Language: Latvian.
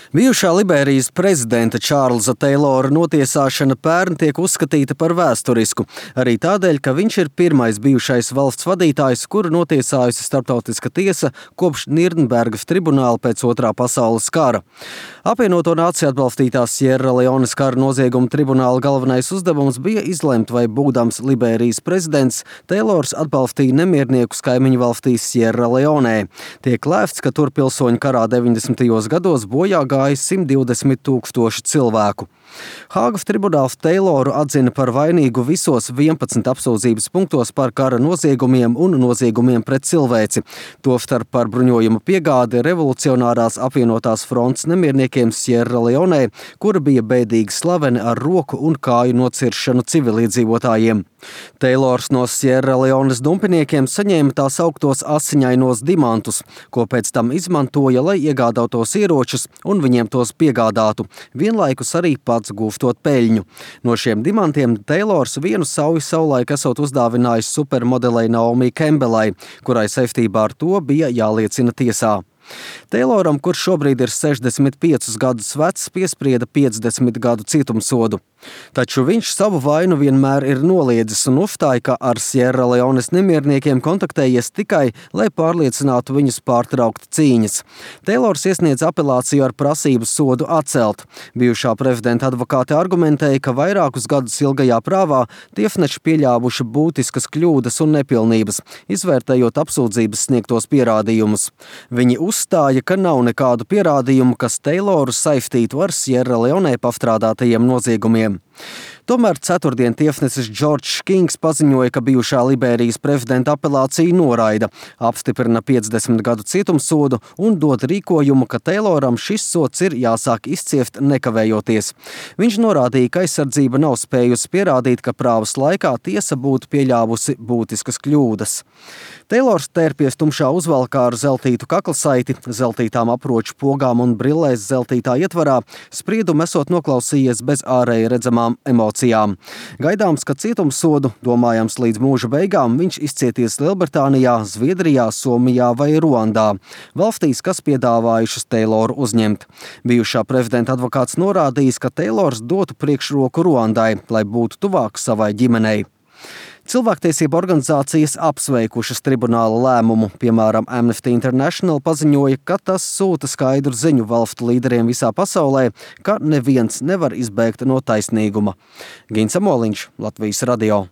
Bijušā Liberijas prezidenta Čārlza Teilora notiesāšana pērn tiek uzskatīta par vēsturisku, arī tādēļ, ka viņš ir pirmais bijušais valsts vadītājs, kuru notiesājusi starptautiska tiesa kopš Nirnbergas tribunāla pēc Otrā pasaules kara. Apvienoto nāciju atbalstītās Sierra Leones kara nozieguma tribunāla galvenais uzdevums bija izlemt, vai būdams Liberijas prezidents, Teilors atbalstīja nemierniekus kaimiņu valstīs Sierra Leonē. Tiek lēsts, ka tur pilsoņu karā 90. gados bojā gāja 120 000 cilvēku. Hāgas tribunāls Teiloru atzina par vainīgu visos 11 apsūdzības punktos par kara noziegumiem un noziegumiem pret cilvēci, tostarp par bruņojuma piegādi revolucionārās apvienotās frontes nemierniekiem Sierra Leonē, kura bija bēdīgi slaveni ar roku un kāju nociršanu civiliedzīvotājiem. Teilors no Sierra Leones dumpiniekiem saņēma tā sauktos asiņainos dimantus, ko pēc tam izmantoja, lai iegādātos ieročus un viņiem tos piegādātu, vienlaikus arī pats gūstot peļņu. No šiem dimantiem Teilors vienu sauju savulaik esot uzdāvinājis supermodelei Naomi Campbellai, kurai saistībā ar to bija jāliecina tiesā. Teiloram, kurš šobrīd ir 65 gadus vecs, piesprieda 50 gadu cietumsodu. Taču viņš savu vainu vienmēr ir noliedzis un uzstāja, ka ar Sierra Leones nemierniekiem kontaktējies tikai, lai pārliecinātu viņus pārtraukt cīņas. Teilors iesniedz apelāciju ar prasību sodu atcelt. Bijušā prezidenta advokāte argumentēja, ka vairākus gadus ilgajā prāvā tiesneši pieļāvuši būtiskas kļūdas un nepilnības, izvērtējot apsūdzības sniegtos pierādījumus. Viņi uzstāja, ka nav nekādu pierādījumu, kas Teiloru saistītu ar Sierra Leonē pastrādātajiem noziegumiem. Tomēr ceturtdien tiesnesis Džordžs Kings paziņoja, ka bijušā Liberijas prezidenta apelāciju noraida, apstiprina 50 gadu cietumsodu un dod rīkojumu, ka Teiloram šis sods ir jāsāk izciest nekavējoties. Viņš norādīja, ka aizsardzība nav spējusi pierādīt, ka prāvas laikā tiesa būtu pieļāvusi būtiskas kļūdas. Teilors tērpies tumšā uzvalkā ar zeltītu kaklasaiti, zeltītām aproču pogām un brillēs zeltītā ietvarā, spriedumu esot noklausījies bez ārēji redzamām emocijām. Gaidāms, ka cietumsodu, domājams līdz mūža beigām, viņš izcieties Lielbritānijā, Zviedrijā, Somijā vai Ruandā, valstīs, kas piedāvājušas Teiloru uzņemt. Bijušā prezidenta advokāts norādījis, ka Teilors dotu priekšroku Ruandai, lai būtu tuvāk savai ģimenei. Cilvēktiesību organizācijas apsveikušas tribunāla lēmumu, piemēram, Amnesty International paziņoja, ka tas sūta skaidru ziņu valstu līderiem visā pasaulē, ka neviens nevar izbēgt no taisnīguma. Gins Amoliņš, Latvijas radio.